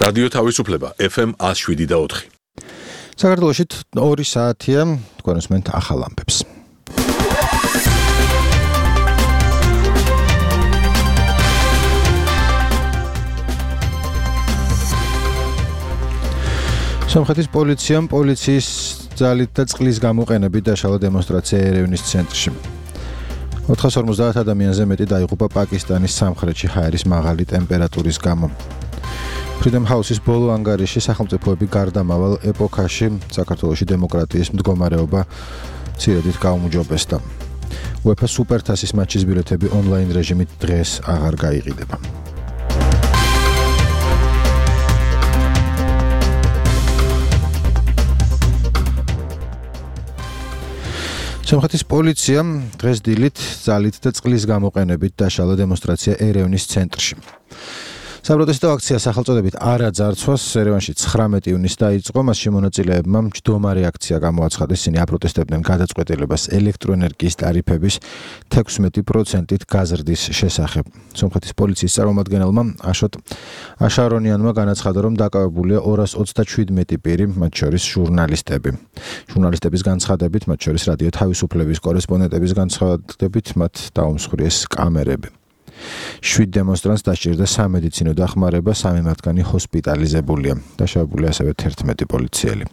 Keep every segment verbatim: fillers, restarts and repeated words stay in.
რადიო თავისუფლება F M one oh seven და four. საქართველოში ორი საათია, თქვენ უსმენთ ახალ ამბებს. სომხეთის პოლიციამ პოლიციის ძალით და წყლის გამოყენებით დაშალა დემონსტრაცია ერევნის ცენტრში. ოთხას ორმოცდაათ ადამიანზე მეტი დაიღუპა პაკისტანის სამხრეთში ჰაერის მაღალი ტემპერატურის გამო. Freedom House-ის ბოლო ანგარიში სახელმწიფოები გარდამავალ ეპოქაში საქართველოში დემოკრატიის მდგომარეობა ცირედით გაუმჯობესდა. UEFA სუპერთასის მატჩის ბილეთები ონლაინ რეჟიმით დღეს აღარ გაიყიდება. სომხეთის პოლიციამ დღეს დილით ძალით და წყლის გამოყენებით დაშალა დემონსტრაცია ერევნის ცენტრში. საპროტესტო აქცია სახელწოდებით არა ძარცვას ერევანში ცხრამეტი ივნისს დაიწყო, მასში მონაწილეებმა მჯდომარე აქცია გამოაცხადეს, ისინი აპროტესტებდნენ გადაწყვეტილებას ელექტროენერგიის ტარიფების თექვსმეტი პროცენტით გაზრდის შესახებ. სომხეთის პოლიციის წარმომადგენელმა აშოტ აშარონიანმა განაცხადა, რომ დაკავებულია ორას ოცდაშვიდმეტი პირი, მათ შორის ჟურნალისტები. ჟურნალისტების განცხადებით, მათ შორის რადიო თავისუფლების კორესპონდენტების განცხადებით, მათ დაუმსხვრიეს კამერები. შვიდ დემონსტრანტს დასჭირდა სამედიცინო დახმარება, სამი მათგანი ჰოსპიტალიზებულია. დაშავებულია ასევე თერთმეტი პოლიციელი.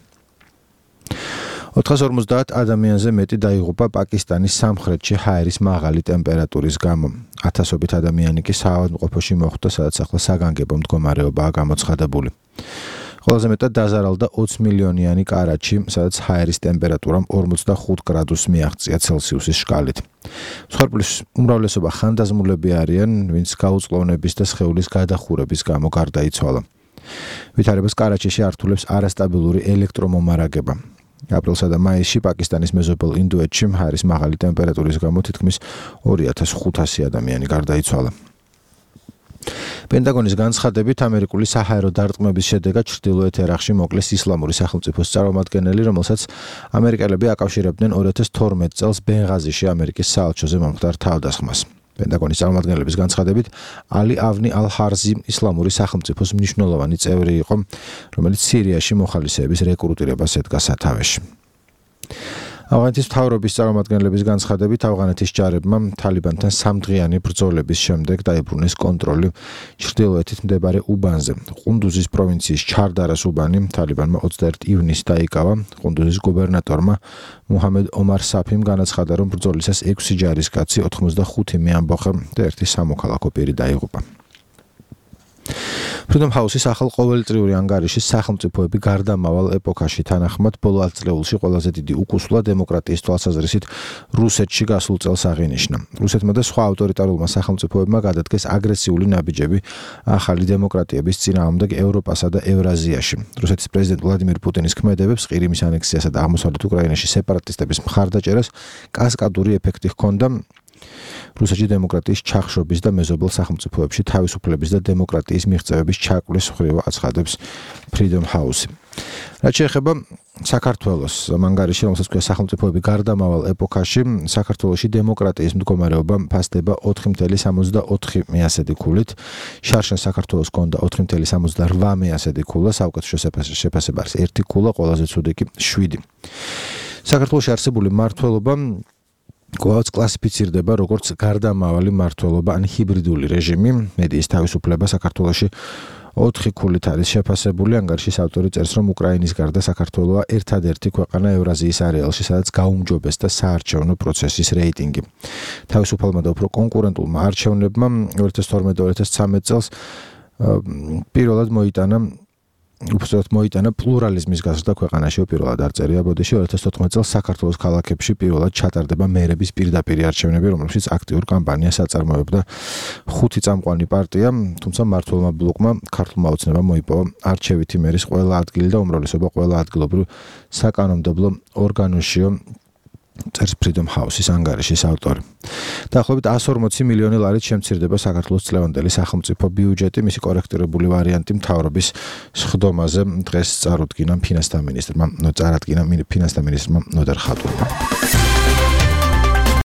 ოთხას ორმოცდაათ ადამიანზე მეტი დაიღუპა პაკისტანის სამხრეთში ჰაერის მაღალი ტემპერატურის გამო. ათასობით ადამიანი კი საავადმყოფოში მოხვდა, სადაც ახლა საგანგებო მდგომარეობაა გამოცხადებული. ყველაზე მეტად დაზარალდა ოცი მილიონიანი კარაჩი, სადაც ჰაერის ტემპერატურამ ორმოცდახუთ გრადუსს მიაღწია ცელსიუსის შკალით. მსხვერპლის უმრავლესობა ხანდაზმულები არიან, ვინც გაუწყლოვნების და სხეულის გადახურების გამო გარდაიცვალა. ვითარებას კარაჩიში ართულებს არასტაბილური ელექტრომომარაგება. აპრილსა და მაისში პაკისტანის მეზობელ ინდოეთში ჰაერის მაღალი ტემპერატურის გამო თითქმის ორი ათას ხუთასი ადამიანი გარდაიცვალა. პენტაგონის განცხადებით, ამერიკული საჰაერო დარტყმების შედეგად ჩრდილოეთ ერაყში მოკლეს ისლამური სახელმწიფოს წარმომადგენელი, რომელსაც ამერიკელები აკავშირებდნენ ორი ათას თორმეტ წელს ბენღაზიში ამერიკის საელჩოზე მომხდარ თავდასხმას. პენტაგონის წარმომადგენლების განცხადებით, ალი ავნი ალ-ჰარზი ისლამური სახელმწიფოს მნიშვნელოვანი წევრი იყო, რომელიც სირიაში მოხალისეების რეკრუტირებას ედგა სათავეში. ავღანეთის მთავრობის წარმომადგენლების განცხადებით, ავღანეთის ჯარებმა თალიბანთან სამდღიანი ბრძოლების შემდეგ დაიბრუნეს კონტროლი ჩრდილოეთით მდებარე უბანზე. ყუნდუზის პროვინციის ჩარდარას უბანი თალიბანმა ოცდაერთი ივნისს დაიკავა. ყუნდუზის გუბერნატორმა მუჰამედ ომარ საფიმ განაცხადა, რომ ბრძოლისას ექვსი ჯარისკაცი, ოთხმოცდახუთი მეამბოხე და ერთი სამოქალაქო პირი დაიღუპა. Freedom House-ის ახალ ყოველწლიური ანგარიში სახელმწიფოები გარდამავალ ეპოქაში თანახმად ბოლო ათწლეულში ყველაზე დიდი უკუსვლა დემოკრატიის თვალსაზრისით რუსეთში გასულ წელს აღინიშნა. რუსეთმა და სხვა ავტორიტარულმა სახელმწიფოებმა გადადგეს აგრესიული ნაბიჯები ახალი დემოკრატიების წინააღმდეგ ევროპასა და ევრაზიაში. რუსეთის პრეზიდენტ ვლადიმირ პუტინის ქმედებებს ყირიმის ანექსიასა და აღმოსავლეთ უკრაინაში სეპარატისტების მხარდაჭერას კასკადური ეფექტი ჰქონდა. რუსეთში დემოკრატიის ჩახშობის და მეზობელ სახელმწიფოებში თავისუფლების და დემოკრატიის მიღწევების ჩაკვლის მხრივ აცხადებს Freedom House. რაც შეეხება საქართველოს ანგარიში, რომელსაც ქვია სახელმწიფოები გარდამავალ ეპოქაში, საქართველოში დემოკრატიის მდგომარეობა ფასდება ოთხი მცდარი სამოცდაოთხი მეასედი ქულით. შარშან საქართველოს ჰქონდა ოთხი მცდარი სამოცდარვა მეასედი ქულა, საუკეთესო შეფასება არის ერთი ქულა, ყველაზე ცუდი კი შვიდი. საქართველოში არსებული მმართველობა კვლავ კლასიფიცირდება როგორც გარდამავალი მმართველობა ან ჰიბრიდული რეჟიმი. მედიის თავისუფლება საქართველოში ოთხი ქულით არის შეფასებული. ანგარიშის ავტორი წერს, რომ უკრაინის გარდა საქართველოა ერთადერთი ქვეყანა ევრაზიის არეალში, სადაც გაუმჯობესდა საარჩევნო პროცესის რეიტინგი. თავისუფალმა და უფრო კონკურენტულმა არჩევნებმა ორი ათას თორმეტ ორი ათას ცხრამეტ წელს პირველად მოიტანა უბრალოდ მოიტანა პლურალიზმის გაზრდა ქვეყანაში. პირველად არ წერია ბოდიში ორი ათას თოთხმეტ წელს საქართველოს ქალაქებში პირველად ჩატარდება მერების პირდაპირი არჩევნები, რომელშიც აქტიურ კამპანიას აწარმოებდა ხუთი წამყვანი პარტია, თუმცა მმართველმა ბლოკმა ქართულმა ოცნებამ მოიპოვა არჩევითი მერის ყველა ადგილი და უმრავლესობა ყველა ადგილობრივ საკანონმდებლო ორგანოშიო, წერს Freedom House-ის ანგარიშის ავტორი. დაახლოებით εκατს ორმოცი მილიონი ლარით შემცირდება საქართველოს წლევანდელი სახელმწიფო ბიუჯეტი. მისი კორექტირებული ვარიანტი მთავრობის სხდომაზე დღეს წარუდგინა ფინანსთა მინისტრმა, წარადგინა ფინანსთა მინისტრმა ნოდარ ხატურმა.